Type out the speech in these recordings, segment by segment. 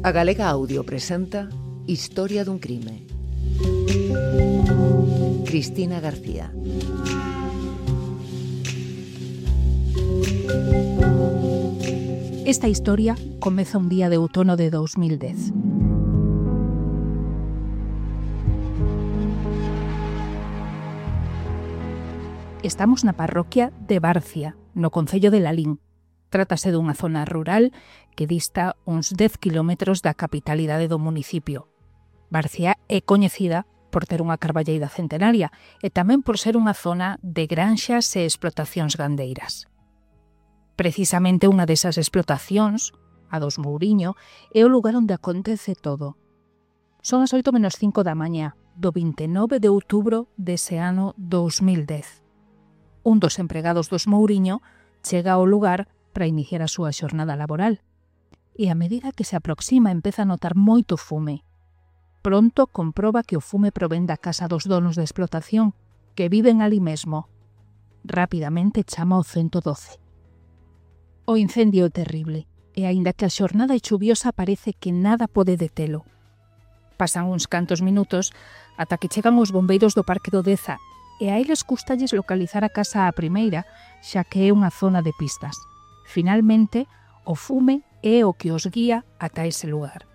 A Galega Audio presenta Historia dun crime. Cristina García. Esta historia comeza un día de outono de 2010. Estamos na parroquia de Barcia, no concello de Lalín. Trátase dunha zona rural que dista uns 10 kilómetros da capitalidade do municipio. Barcia é coñecida por ter unha carballeira centenaria e tamén por ser unha zona de granxas e explotacións gandeiras. Precisamente unha desas explotacións, a dos Mouriño, é o lugar onde acontece todo. Son as 8:05 da mañá do 29 de outubro dese ano 2010. Un dos empregados dos Mouriño chega ao lugar para iniciar a súa xornada laboral. E a medida que se aproxima empeza a notar moito fume. Pronto comproba que o fume provén da casa dos donos da explotación, que viven ali mesmo. Rapidamente chama ao 112. O incendio é terrible, e aínda que a xornada é chuviosa parece que nada pode detelo. Pasan uns cantos minutos ata que chegan os bombeiros do Parque do Deza, e a eles custalles localizar a casa á primeira, xa que é unha zona de pistas. Finalmente, o fume é o que os guía ata ese lugar.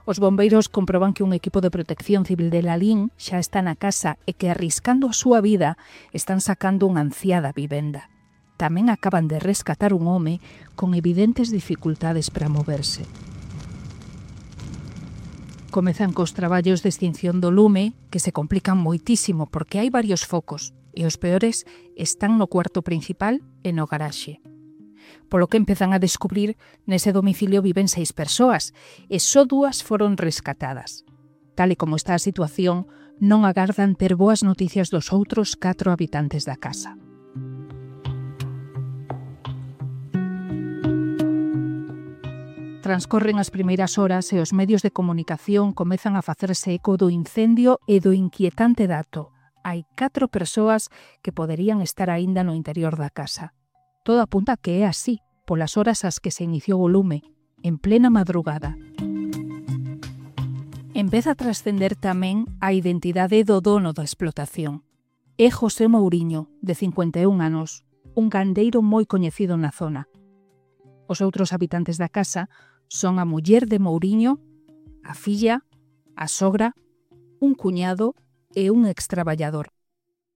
Os bombeiros comproban que un equipo de protección civil de Lalín xa está na casa e que, arriscando a súa vida, están sacando unha anciá da vivenda. Tamén acaban de rescatar un home con evidentes dificultades para moverse. Comezan cos traballos de extinción do lume, que se complican moitísimo porque hai varios focos, e os peores están no cuarto principal e no garaxe. Polo que empezan a descubrir, nese domicilio viven 6 persoas, e só 2 foron rescatadas. Tal e como está a situación, non agardan ter boas noticias dos outros 4 habitantes da casa. Transcorren as primeiras horas e os medios de comunicación comezan a facerse eco do incendio e do inquietante dato. Hai 4 persoas que poderían estar aínda no interior da casa. Todo apunta que é así, polas horas ás que se iniciou o lume, en plena madrugada. Empeza a trascender tamén a identidade do dono da explotación. É José Mouriño, de 51 anos, un gandeiro moi coñecido na zona. Os outros habitantes da casa son a muller de Mouriño, a filla, a sogra, un cuñado e un extraballador.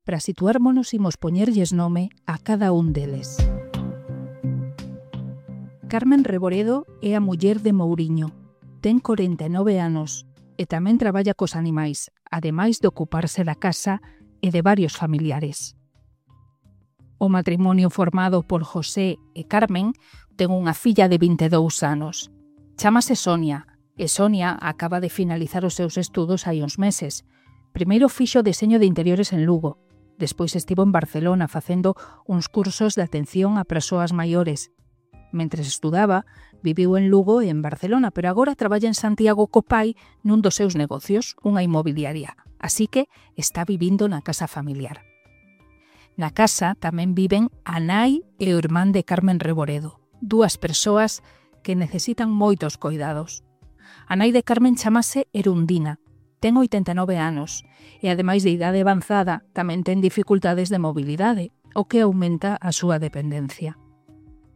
Para situármonos imos poñerlles nome a cada un deles. Carmen Reboredo é a muller de Mouriño. Ten 49 anos e tamén traballa cos animais, ademais de ocuparse da casa e de varios familiares. O matrimonio formado por José e Carmen ten unha filla de 22 anos. Chámase Sonia, e Sonia acaba de finalizar os seus estudos hai uns meses. Primeiro fixo deseño de interiores en Lugo, despois estivo en Barcelona facendo uns cursos de atención a persoas maiores. Mentres estudaba, viviu en Lugo e en Barcelona, pero agora traballa en Santiago co pai nun dos seus negocios, unha inmobiliaria. Así que está vivindo na casa familiar. Na casa tamén viven a nai e o irmán de Carmen Reboredo, 2 persoas que necesitan moitos coidados. A nai de Carmen chamase Erundina, ten 89 anos e, ademais de idade avanzada, tamén ten dificultades de mobilidade, o que aumenta a súa dependencia.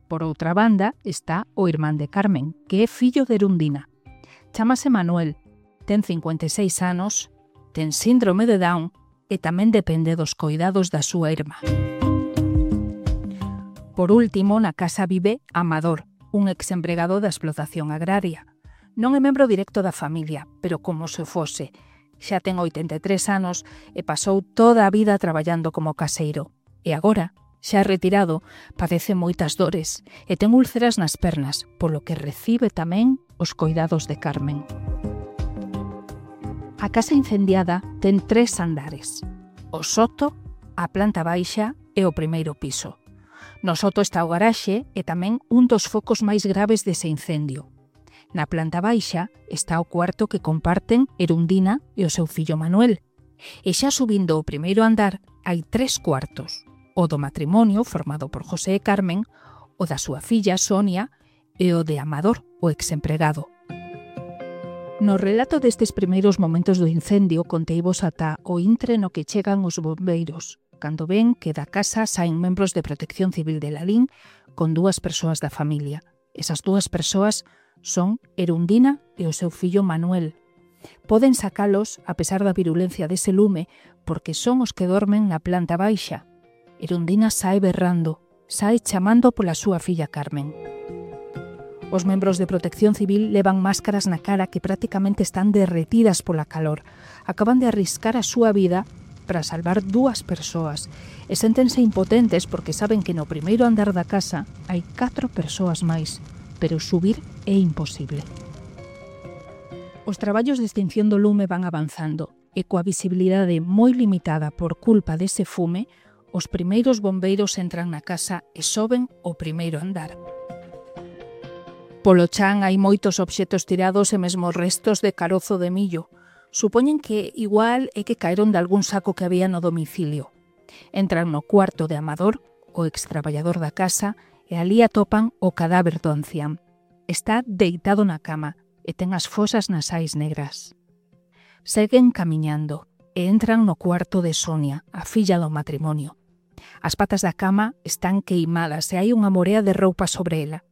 Por outra banda está o irmán de Carmen, que é fillo de Erundina. Chámase Manuel, ten 56 anos, ten síndrome de Down e tamén depende dos coidados da súa irmá. Por último, na casa vive Amador, un exempregado da explotación agraria. Non é membro directo da familia, pero como se fose. Xa ten 83 anos e pasou toda a vida traballando como caseiro. E agora, xa retirado, padece moitas dores e ten úlceras nas pernas, polo que recibe tamén os coidados de Carmen. A casa incendiada ten 3 andares: o soto, a planta baixa e o primeiro piso. No soto está o garaxe e tamén un dos focos máis graves dese incendio. Na planta baixa está o cuarto que comparten Erundina e o seu fillo Manuel. E xa subindo o primeiro andar hai 3 cuartos: o do matrimonio formado por José e Carmen, o da súa filla Sonia e o de Amador, o exempregado. No relato destes primeiros momentos do incendio conteivos ata o intre no que chegan os bombeiros, cando ven que da casa saen membros de Protección Civil de Lalín con 2 persoas da familia. Esas 2 persoas son Erundina e o seu fillo Manuel. Poden sacalos a pesar da virulencia dese lume porque son os que dormen na planta baixa. Erundina sae berrando, sae chamando pola súa filla Carmen. Os membros de Protección Civil levan máscaras na cara que prácticamente están derretidas pola calor. Acaban de arriscar a súa vida para salvar 2 persoas e séntense impotentes porque saben que no primeiro andar da casa hai 4 persoas máis, pero subir é imposible. Os traballos de extinción do lume van avanzando e coa visibilidade moi limitada por culpa dese fume, os primeiros bombeiros entran na casa e soben o primeiro andar. Polo chan hai moitos obxetos tirados e mesmo restos de carozo de millo. Supoñen que igual é que caeron de algún saco que había no domicilio. Entran no cuarto de Amador, o extraballador da casa, e ali atopan o cadáver do ancián. Está deitado na cama e ten as fosas nasais negras. Seguen camiñando e entran no cuarto de Sonia, a filla do matrimonio. As patas da cama están queimadas e hai unha morea de roupa sobre ela.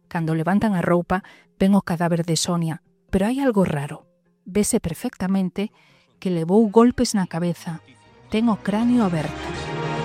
Cando levantan a roupa, ven o cadáver de Sonia, pero hai algo raro. Vese perfectamente que levou golpes na cabeza. Ten o cráneo aberto.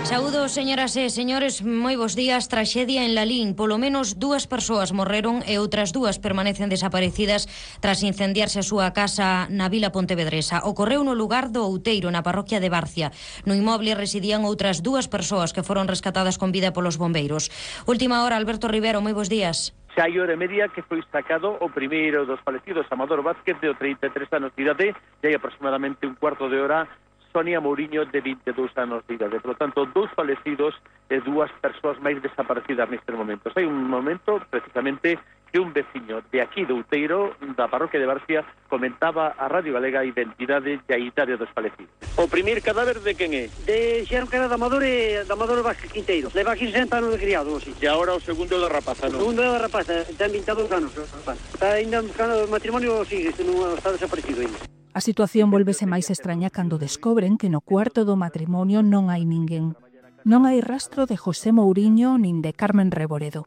Saúdos, señoras e señores, moi bons días. Traxedia en Lalín. Polo menos 2 persoas morreron e outras 2 permanecen desaparecidas tras incendiarse a súa casa na vila pontevedresa. Ocorreu no lugar do Outeiro, na parroquia de Barcia. No inmoble residían outras 2 persoas que foron rescatadas con vida polos bombeiros. Última hora, Alberto Rivero, moi bons días. Xa hai hora e media que foi sacado o primeiro dos falecidos, Amador Vázquez, de 33 anos de idade, e hai aproximadamente un cuarto de hora Sonia Mouriño, de 22 anos de idade. Por lo tanto, 2 falecidos e 2 persoas máis desaparecidas nestes momentos. Hai un momento, precisamente, que un veciño de aquí de Outeiro, da parroquia de Barcia, comentaba a Radio Galega a identidade e a idade dos falecidos. O primeiro cadáver de quen é? Xeron que era de Amador e de Amador Vázquez Quinteiro. Leva aquí 60 anos de criado, así. E agora o segundo da rapaza, non? O segundo da rapaza, ten 22 anos. Está ainda buscando o matrimonio, sigue, non está desaparecido ainda. A situación volvese máis extraña cando descobren que no cuarto do matrimonio non hai ninguén. Non hai rastro de José Mouriño nin de Carmen Reboredo.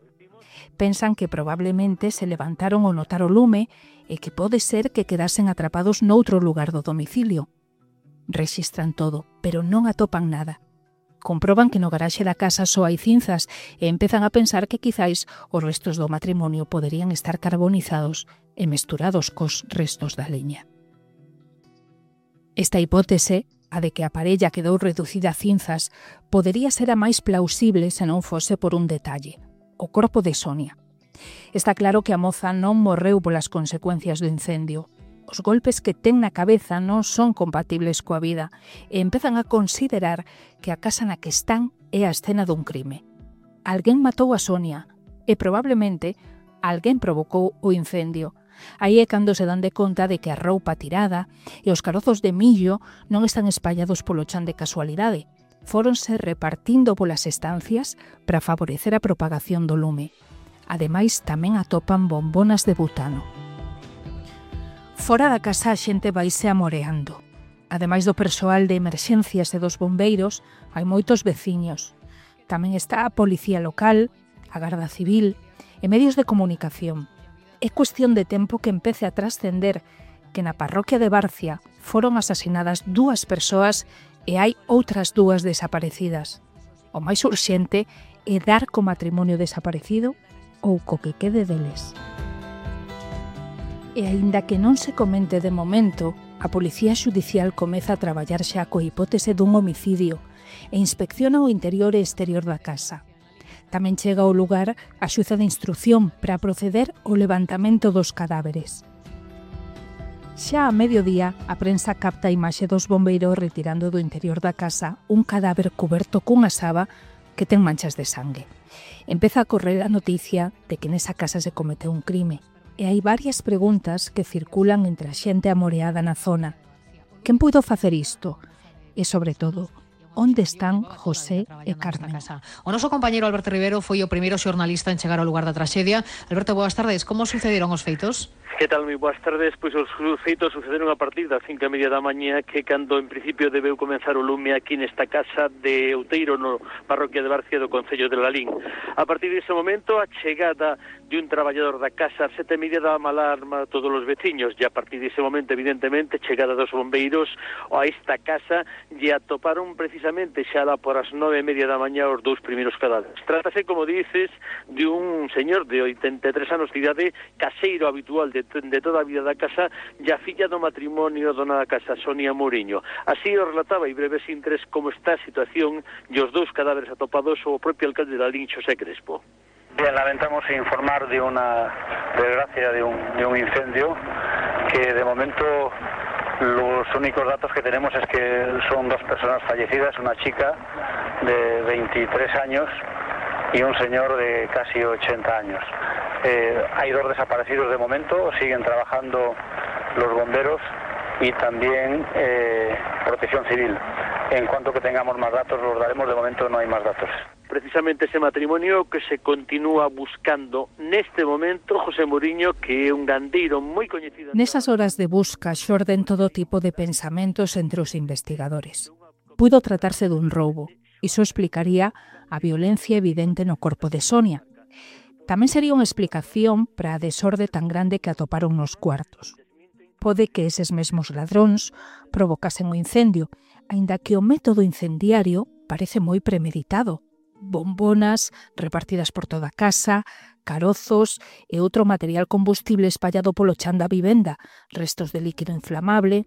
Pensan que probablemente se levantaron ao notar o lume e que pode ser que quedasen atrapados noutro lugar do domicilio. Rexistran todo, pero non atopan nada. Comproban que no garaxe da casa só hai cinzas e empezan a pensar que quizáis os restos do matrimonio poderían estar carbonizados e mesturados cos restos da leña. Esta hipótese, a de que a parella quedou reducida a cinzas, podería ser a máis plausible se non fose por un detalle: o corpo de Sonia. Está claro que a moza non morreu polas consecuencias do incendio. Os golpes que ten na cabeza non son compatibles coa vida e empezan a considerar que a casa na que están é a escena dun crime. Alguén matou a Sonia e probablemente alguén provocou o incendio. Aí é cando se dan de conta de que a roupa tirada e os carozos de millo non están espallados polo chan de casualidade. Fóronse repartindo polas estancias para favorecer a propagación do lume. Ademais, tamén atopan bombonas de butano. Fora da casa a xente vaise amoreando. Ademais do persoal de emerxencias e dos bombeiros, hai moitos veciños. Tamén está a policía local, a Garda Civil e medios de comunicación. É cuestión de tempo que empece a trascender que na parroquia de Barcia foron asasinadas 2 persoas e hai outras 2 desaparecidas. O máis urxente é dar co matrimonio desaparecido ou co que quede deles. E aínda que non se comente de momento, a Policía Xudicial comeza a traballar xa coa hipótese dun homicidio e inspecciona o interior e exterior da casa. Tamén chega ao lugar a xuza de instrucción para proceder ao levantamento dos cadáveres. Xa a mediodía, a prensa capta a imaxe dos bombeiros retirando do interior da casa un cadáver cuberto cunha saba que ten manchas de sangue. Empeza a correr a noticia de que nesa casa se cometeu un crime e hai varias preguntas que circulan entre a xente amoreada na zona. Quen puido facer isto? E, sobre todo, onde están José e Carmen? O noso compañeiro Alberto Rivero foi o primeiro xornalista en chegar ao lugar da traxedia. Alberto, boas tardes. Como sucederon os feitos? Que tal, moi boas tardes? Pois os feitos sucederon a partir das 5:30 da mañá, que cando en principio debeu comenzar o lume aquí nesta casa de Outeiro, no parroquia de Barcia do concello de Lalín. A partir dese momento, a chegada de un traballador da casa ás 7:30 daba alarma a todos os veciños, e a partir dese momento, evidentemente, chegada dos bombeiros a esta casa, e atoparon precisamente xa lá por as 9:30 da mañá os dous primeiros cadáveres. Trátase, como dices, de un señor de 83 anos de idade, caseiro habitual de toda a vida da casa, e a filla do matrimonio dona da casa, Sonia Mouriño. Así o relataba e breves intres como está a situación e os dous cadáveres atopados o propio alcalde de Lalín, Xosé Crespo. Bien, lamentamos informar de una desgracia, de un incendio, que de momento los únicos datos que tenemos es que son dos personas fallecidas, una chica de 23 años y un señor de casi 80 años. Hay dos desaparecidos de momento, siguen trabajando los bomberos y también Protección Civil. En cuanto que tengamos más datos los daremos, de momento no hay más datos. Precisamente ese matrimonio que se continúa buscando neste momento, José Mouriño, que é un gandeiro moi coñecido. Nesas horas de busca xorden todo tipo de pensamentos entre os investigadores. Puido tratarse dun roubo. Iso explicaría a violencia evidente no corpo de Sonia. Tamén sería unha explicación para a desorde tan grande que atoparon nos cuartos. Pode que eses mesmos ladróns provocasen o incendio, aínda que o método incendiario parece moi premeditado. Bombonas repartidas por toda a casa, carozos e outro material combustible espallado polo chan da vivenda, restos de líquido inflamable.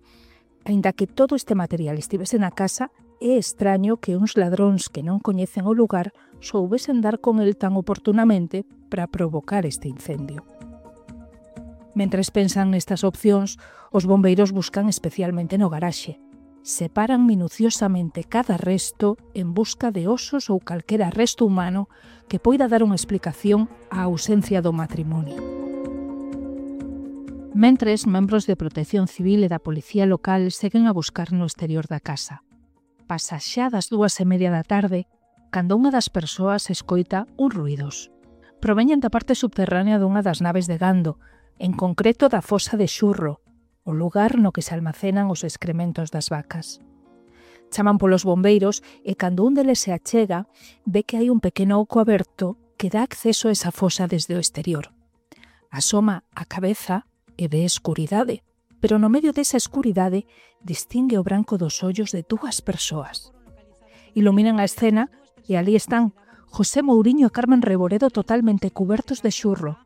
Aínda que todo este material estivese na casa, é extraño que uns ladróns que non coñecen o lugar soubesen dar con el tan oportunamente para provocar este incendio. Mentres pensan nestas opcións, os bombeiros buscan especialmente no garaxe. Separan minuciosamente cada resto en busca de osos ou calquera resto humano que poida dar unha explicación á ausencia do matrimonio. Mentres, membros de Protección Civil e da Policía Local seguen a buscar no exterior da casa. Pasa xa das 2:30 da tarde, cando unha das persoas escoita uns ruidos. Proveñen da parte subterránea dunha das naves de gando, en concreto da fosa de Xurro, o lugar no que se almacenan os excrementos das vacas. Chaman polos bombeiros e cando un deles se achega, ve que hai un pequeno oco aberto que dá acceso a esa fosa desde o exterior. Asoma a cabeza e ve escuridade, pero no medio desa escuridade distingue o branco dos ollos de dúas persoas. Iluminan a escena e ali están José Mouriño e Carmen Reboredo totalmente cubertos de xurro.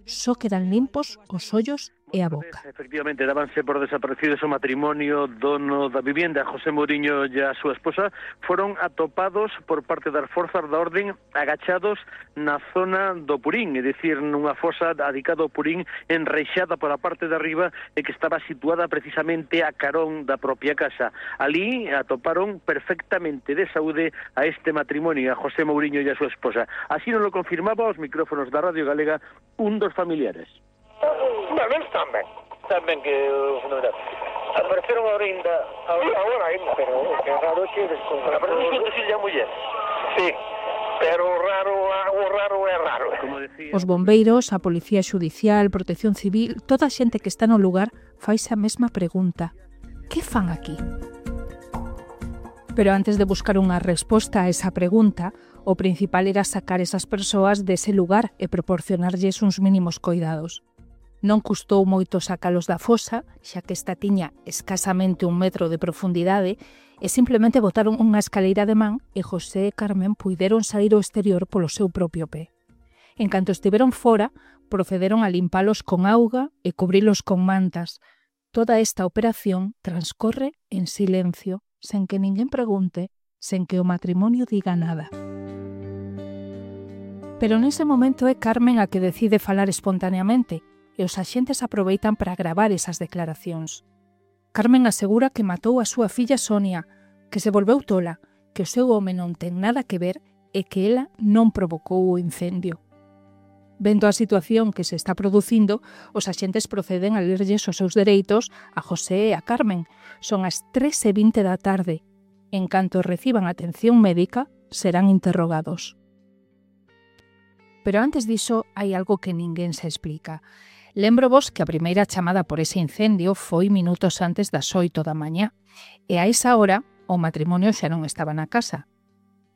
Só quedan limpos os ollos e a boca. Efectivamente, dábanse por desaparecidos o matrimonio dono da vivienda, José Mouriño e a súa esposa, foron atopados por parte das forzas da orden agachados na zona do Purín, é dicir, nunha fosa dedicada ao Purín, enreixada por a parte de arriba e que estaba situada precisamente a carón da propia casa. Ali atoparon perfectamente de saúde a este matrimonio, a José Mouriño e a súa esposa. Así nos lo confirmaba aos micrófonos da Radio Galega un dos familiares. Bueno, tamén que apareceron agora ainda, pero que raro que descontra. Apareceron que a muller. Sí, pero o raro é raro. Os bombeiros, a Policía Xudicial, Protección Civil, toda a xente que está no lugar faise a mesma pregunta. Que fan aquí? Pero antes de buscar unha resposta a esa pregunta, o principal era sacar esas persoas dese lugar e proporcionarlles uns mínimos coidados. Non custou moito sacalos da fosa, xa que esta tiña escasamente 1 metro de profundidade, e simplemente botaron unha escaleira de man e José e Carmen puideron sair ao exterior polo seu propio pé. En canto estiveron fora, procederon a limpalos con auga e cubrilos con mantas. Toda esta operación transcorre en silencio, sen que ninguén pregunte, sen que o matrimonio diga nada. Pero nese momento é Carmen a que decide falar espontaneamente, e os axentes aproveitan para gravar esas declaracións. Carmen asegura que matou a súa filla Sonia, que se volveu tola, que o seu home non ten nada que ver e que ela non provocou o incendio. Vendo a situación que se está producindo, os axentes proceden a lerlles os seus dereitos a José e a Carmen. Son as 3:20 da tarde. En canto reciban atención médica, serán interrogados. Pero antes diso, hai algo que ninguén se explica. Lembro vos que a primeira chamada por ese incendio foi minutos antes das 8 da mañá, e a esa hora o matrimonio xa non estaba na casa.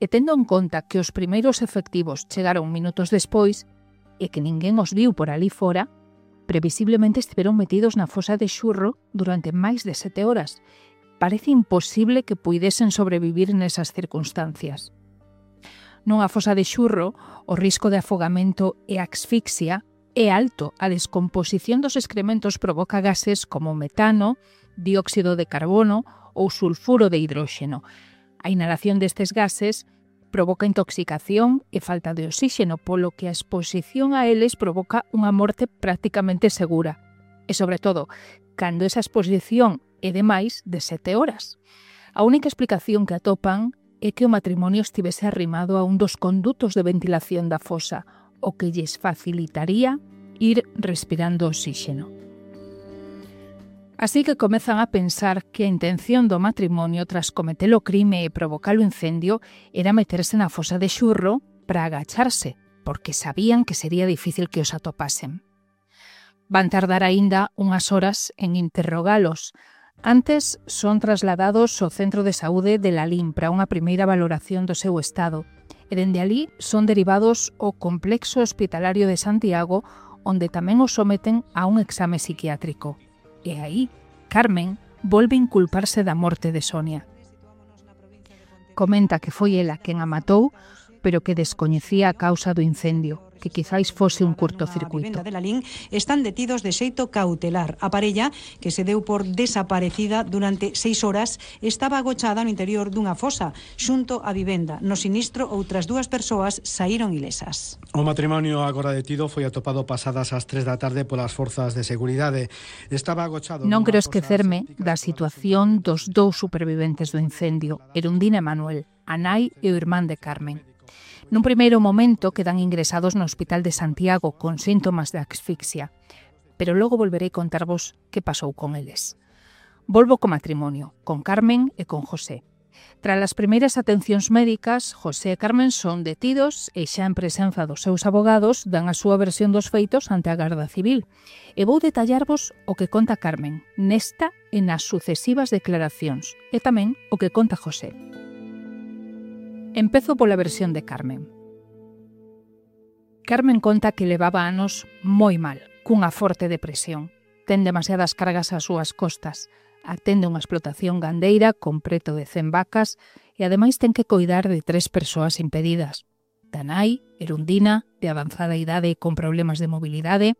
E tendo en conta que os primeiros efectivos chegaron minutos despois e que ninguén os viu por ali fora, previsiblemente estiveron metidos na fosa de Xurro durante máis de 7 horas. Parece imposible que puidesen sobrevivir nesas circunstancias. Nunha fosa de Xurro, o risco de afogamento e asfixia é alto. A descomposición dos excrementos provoca gases como metano, dióxido de carbono ou sulfuro de hidróxeno. A inhalación destes gases provoca intoxicación e falta de oxígeno, polo que a exposición a eles provoca unha morte prácticamente segura. E, sobre todo, cando esa exposición é de máis de 7 horas. A única explicación que atopan é que o matrimonio estivese arrimado a un dos condutos de ventilación da fosa, o que lles facilitaría ir respirando oxígeno. Así que comezan a pensar que a intención do matrimonio tras cometer o crime e provocar o incendio era meterse na fosa de Xurro para agacharse, porque sabían que sería difícil que os atopasen. Van tardar aínda unhas horas en interrogalos. Antes son trasladados ao Centro de Saúde de Lalín para unha primeira valoración do seu estado, e dende alí son derivados ao Complexo Hospitalario de Santiago, onde tamén os someten a un exame psiquiátrico. E aí, Carmen volve inculparse da morte de Sonia. Comenta que foi ela quen a matou, pero que descoñecía a causa do incendio, que quizáis fose un curtocircuito. De Lalín están detidos de xeito cautelar. A parella, que se deu por desaparecida durante 6 horas, estaba agochada no interior dunha fosa, xunto á vivenda. No sinistro, outras 2 persoas saíron ilesas. O matrimonio agora detido foi atopado pasadas as 3 da tarde polas forzas de seguridade. Estaba agochado... Non quero esquecerme da situación dos 2 superviventes do incendio, Erundina e Manuel, a nai e o irmán de Carmen. Nun primeiro momento quedan ingresados no Hospital de Santiago con síntomas de asfixia, pero logo volverei contarvos que pasou con eles. Volvo co matrimonio, con Carmen e con José. Tras as primeiras atencións médicas, José e Carmen son detidos e xa en presenza dos seus abogados dan a súa versión dos feitos ante a Garda Civil. E vou detallarvos o que conta Carmen nesta e nas sucesivas declaracións e tamén o que conta José. Empezo pola versión de Carmen. Carmen conta que levaba anos moi mal, cunha forte depresión. Ten demasiadas cargas ás súas costas. Atende unha explotación gandeira con preto de 100 vacas e ademais ten que coidar de 3 persoas impedidas. Da nai, Erundina, de avanzada idade e con problemas de mobilidade,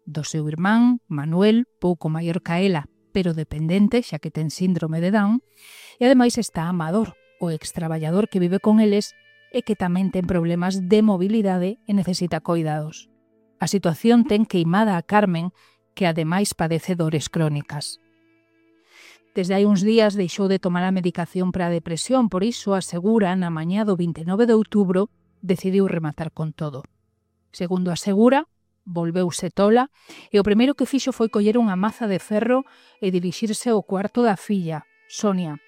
do seu irmán, Manuel, pouco maior ca ela, pero dependente, xa que ten síndrome de Down, e ademais está Amador, o extraballador que vive con eles e que tamén ten problemas de mobilidade e necesita coidados. A situación ten queimada a Carmen, que ademais padece dores crónicas. Desde hai uns días deixou de tomar a medicación para a depresión, por iso asegura na mañá do 29 de outubro decidiu rematar con todo. Segundo asegura, volveuse tola e o primeiro que fixo foi coller unha maza de ferro e dirixirse ao cuarto da filla, Sonia.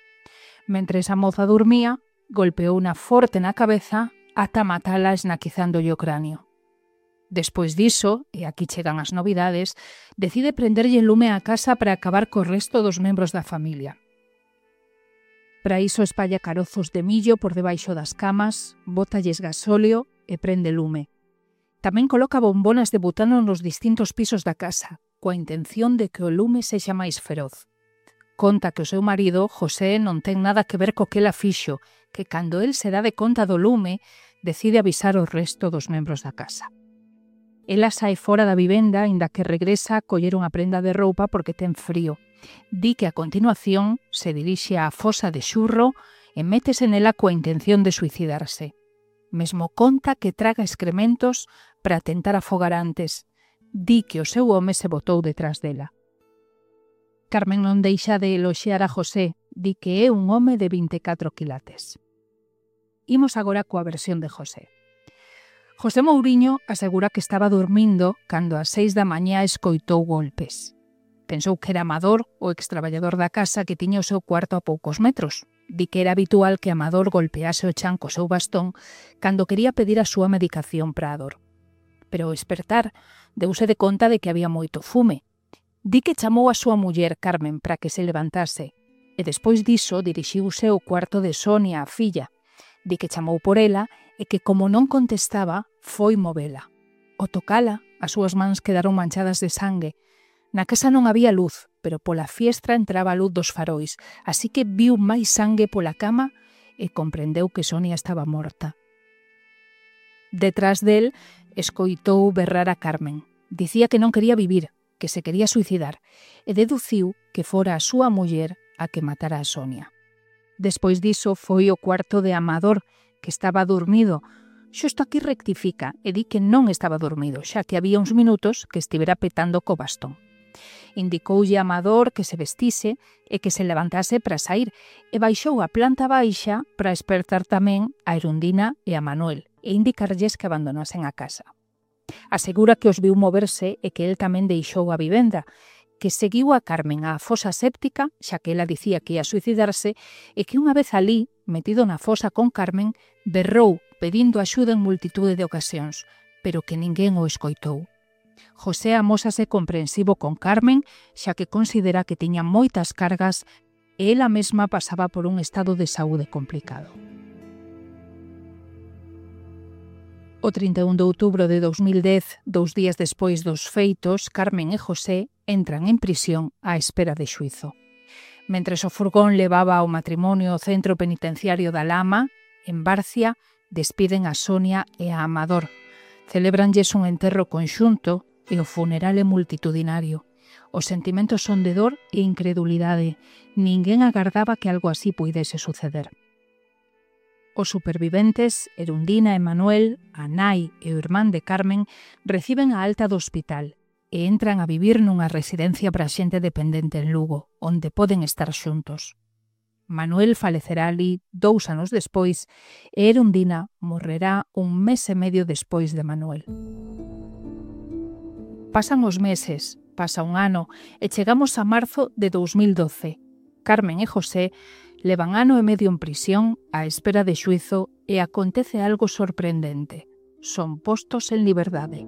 Mentres a moza dormía, golpeouna forte na cabeza ata matala esnaquizándolle o cráneo. Despois diso, e aquí chegan as novidades, decide prenderlle lume á casa para acabar co resto dos membros da familia. Para iso espalla carozos de millo por debaixo das camas, bótalles gasóleo e prende lume. Tamén coloca bombonas de butano nos distintos pisos da casa, coa intención de que o lume sexa máis feroz. Conta que o seu marido, José, non ten nada que ver co que ela fixo, que cando el se dá de conta do lume, decide avisar o resto dos membros da casa. Ela sae fora da vivenda, inda que regresa a coller unha prenda de roupa porque ten frío. Di que a continuación se dirixe á fosa de Xurro e métese nela coa intención de suicidarse. Mesmo conta que traga excrementos para tentar afogar antes. Di que o seu home se botou detrás dela. Carmen non deixa de eloxear a José, di que é un home de 24 quilates. Imos agora coa versión de José. José Mouriño asegura que estaba dormindo cando ás 6 da mañá escoitou golpes. Pensou que era Amador, o extraballador da casa que tiña o seu cuarto a poucos metros. Di que era habitual que Amador golpease o chan co seu bastón cando quería pedir a súa medicación para a dor. pero ao espertar deuse de conta de que había moito fume. Di que chamou a súa muller Carmen para que se levantase e despois diso dirixiuse ao cuarto de Sonia, a filla. Di que chamou por ela e que como non contestaba, foi movela. Ao tocala, as súas mans quedaron manchadas de sangue. Na casa non había luz, pero pola fiestra entraba a luz dos farois, así que viu máis sangue pola cama e comprendeu que Sonia estaba morta. Detrás del, escoitou berrar a Carmen. Dicía que non quería vivir, que se quería suicidar, e deduciu que fora a súa muller a que matara a Sonia. Despois diso foi ao cuarto de Amador, que estaba dormido. Xusto aquí rectifica e di que non estaba dormido, xa que había uns minutos que estivera petando co bastón. Indicoulle a Amador que se vestise e que se levantase para sair e baixou a planta baixa para espertar tamén a Erundina e a Manuel e indicarlles que abandonasen a casa. Asegura que os viu moverse e que el tamén deixou a vivenda, que seguiu a Carmen á fosa séptica, xa que ela dicía que ia suicidarse, e que unha vez alí, metido na fosa con Carmen, berrou pedindo axuda en multitude de ocasións, pero que ninguén o escoitou. José amósase comprensivo con Carmen, xa que considera que tiña moitas cargas e ela mesma pasaba por un estado de saúde complicado. O 31 de outubro de 2010, 2 días despois dos feitos, Carmen e José entran en prisión á espera de xuízo. Mentres o furgón levaba ao matrimonio ao centro penitenciario da Lama, en Barcia, despiden a Sonia e a Amador. Celebranlles un enterro conxunto e o funeral é multitudinario. Os sentimentos son de dor e incredulidade. Ninguén agardaba que algo así puidese suceder. Os superviventes, Erundina e Manuel, a nai e o irmán de Carmen, reciben a alta do hospital e entran a vivir nunha residencia para xente dependente en Lugo, onde poden estar xuntos. Manuel falecerá ali 2 anos despois e Erundina morrerá 1 mes e medio despois de Manuel. Pasan os meses, pasa 1 ano e chegamos a marzo de 2012. Carmen e José levan 1 ano e medio en prisión á espera de xuízo e acontece algo sorprendente. Son postos en liberdade.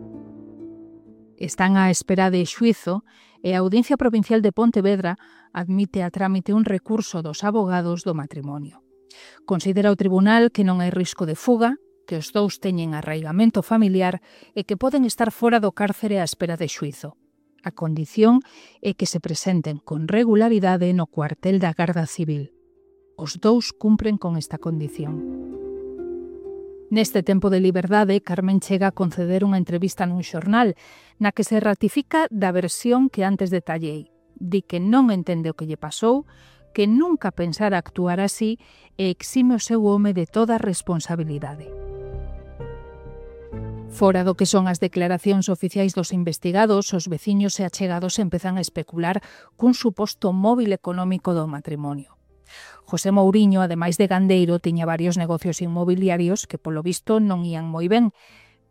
Están á espera de xuízo e a Audiencia Provincial de Pontevedra admite a trámite un recurso dos abogados do matrimonio. Considera o tribunal que non hai risco de fuga, que os dous teñen arraigamento familiar e que poden estar fora do cárcere á espera de xuízo. A condición é que se presenten con regularidade no cuartel da Garda Civil. Os dous cumpren con esta condición. Neste tempo de liberdade, Carmen chega a conceder unha entrevista nun xornal na que se ratifica da versión que antes detallei. Di que non entende o que lle pasou, que nunca pensara actuar así e exime o seu home de toda responsabilidade. Fora do que son as declaracións oficiais dos investigados, os veciños e achegados empezan a especular cun suposto móvil económico do matrimonio. José Mouriño, ademais de gandeiro, tiña varios negocios inmobiliarios que, polo visto, non ían moi ben,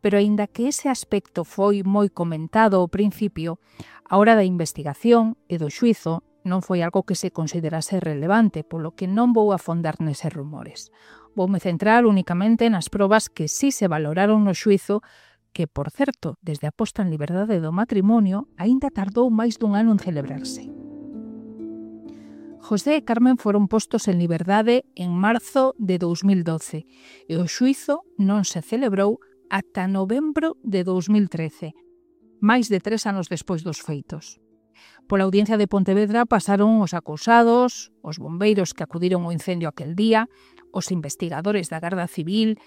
pero aínda que ese aspecto foi moi comentado ao principio, a hora da investigación e do xuízo non foi algo que se considerase relevante, polo que non vou afondar neses rumores. Voume centrar únicamente nas probas que sí se valoraron no xuízo, que, por certo, desde a posta en liberdade do matrimonio, aínda tardou máis d'1 ano en celebrarse. José e Carmen foron postos en liberdade en marzo de 2012 e o xuízo non se celebrou ata novembro de 2013, máis de 3 anos despois dos feitos. Pola Audiencia de Pontevedra pasaron os acusados, os bombeiros que acudiron ao incendio aquel día, os investigadores da Garda Civil,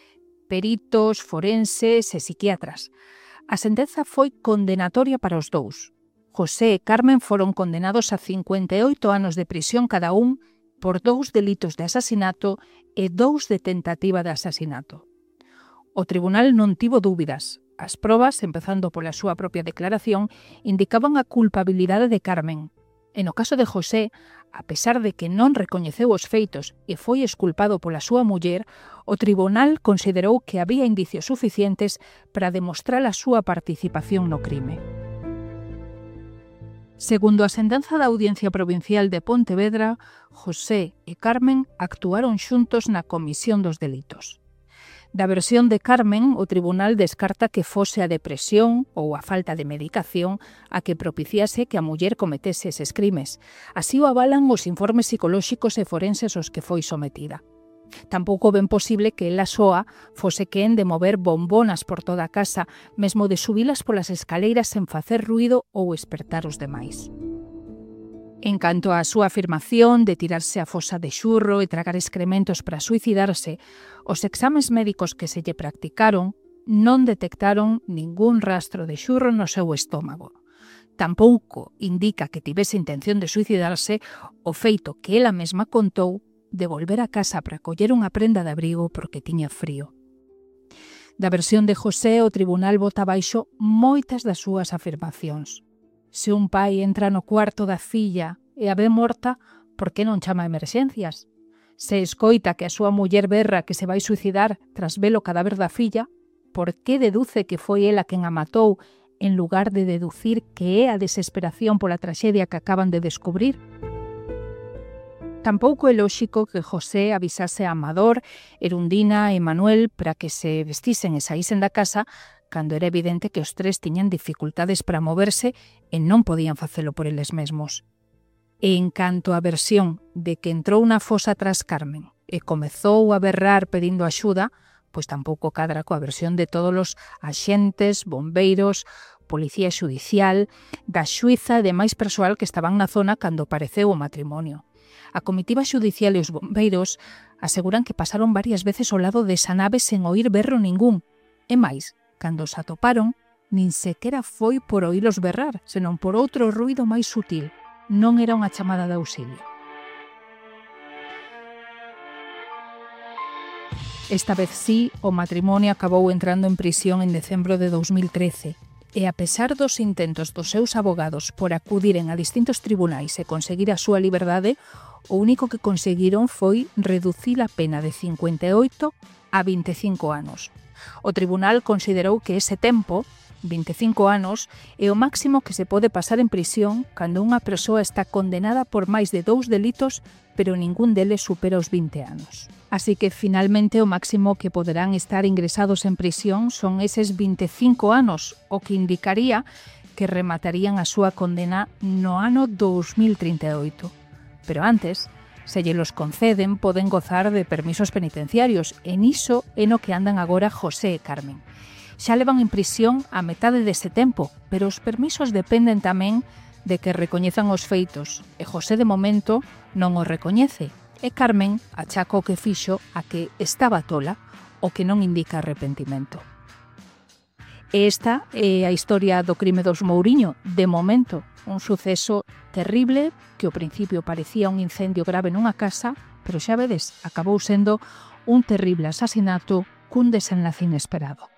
peritos, forenses e psiquiatras. A sentenza foi condenatoria para os dous. José e Carmen foron condenados a 58 anos de prisión cada un por 2 delitos de asasinato e 2 de tentativa de asasinato. O tribunal non tivo dúbidas. As probas, empezando pola súa propia declaración, indicaban a culpabilidade de Carmen. E no caso de José, a pesar de que non recoñeceu os feitos e foi exculpado pola súa muller, o tribunal considerou que había indicios suficientes para demostrar a súa participación no crime. Segundo a sentenza da Audiencia Provincial de Pontevedra, José e Carmen actuaron xuntos na comisión dos delitos. Da versión de Carmen, o tribunal descarta que fose a depresión ou a falta de medicación a que propiciase que a muller cometese eses crimes. Así o avalan os informes psicolóxicos e forenses aos que foi sometida. Tampouco ven posible que ela soa fose quen de mover bombonas por toda a casa, mesmo de subilas polas escaleiras sen facer ruído ou espertar os demais. En canto á súa afirmación de tirarse a fosa de xurro e tragar excrementos para suicidarse, os exames médicos que se lle practicaron non detectaron ningún rastro de xurro no seu estómago. Tampouco indica que tivese intención de suicidarse o feito que ela mesma contou de volver a casa para coller unha prenda de abrigo porque tiña frío. Da versión de José, o tribunal bota baixo moitas das súas afirmacións. Se un pai entra no cuarto da filla e a ve morta, por que non chama a emerxencias? Se escoita que a súa muller berra que se vai suicidar tras ver o cadáver da filla, por que deduce que foi ela quen a matou en lugar de deducir que é a desesperación pola traxedia que acaban de descubrir? Tampouco é lóxico que José avisase a Amador, Erundina e Manuel para que se vestisen e saísen da casa cando era evidente que os tres tiñan dificultades para moverse e non podían facelo por eles mesmos. E en canto á versión de que entrou na fosa tras Carmen e comezou a berrar pedindo axuda, pois tampouco cadra coa versión de todos os axentes, bombeiros, policía xudicial, da xuíza e demais persoal que estaban na zona cando apareceu o matrimonio. A comitiva xudicial e os bombeiros aseguran que pasaron varias veces ao lado desa nave sen oír berro ningún. E máis, cando os atoparon, nin sequera foi por oílos berrar, senón por outro ruído máis sutil. Non era unha chamada de auxilio. Esta vez sí, o matrimonio acabou entrando en prisión en decembro de 2013 e a pesar dos intentos dos seus abogados por acudiren a distintos tribunais e conseguir a súa liberdade, o único que conseguiron foi reducir a pena de 58 a 25 anos. O tribunal considerou que ese tempo, 25 anos, é o máximo que se pode pasar en prisión cando unha persoa está condenada por máis de 2 delitos, pero ningún deles supera os 20 anos. Así que, finalmente, o máximo que poderán estar ingresados en prisión son eses 25 anos, o que indicaría que rematarían a súa condena no ano 2038. Pero antes, se lle los conceden, poden gozar de permisos penitenciarios, e niso é no que andan agora José e Carmen. Xa levan en prisión a metade dese tempo, pero os permisos dependen tamén de que recoñezan os feitos, e José de momento non os recoñece, e Carmen achaca o que fixo a que estaba tola, o que non indica arrepentimento. E esta é a historia do crime dos Mouriño, de momento, un suceso terrible que ao principio parecía un incendio grave nunha casa, pero xa vedes, acabou sendo un terrible asasinato cun desenlace inesperado.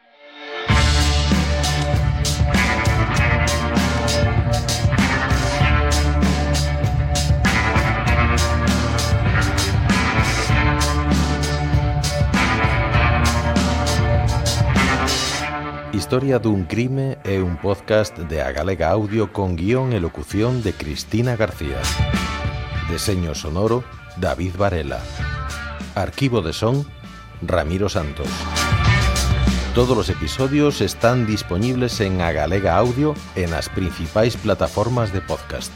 Historia dun crime é un podcast de A Galega Audio con guión e locución de Cristina García. Deseño sonoro, David Varela. Arquivo de son, Ramiro Santos. Todos os episodios están disponibles en A Galega Audio e nas principais plataformas de podcast.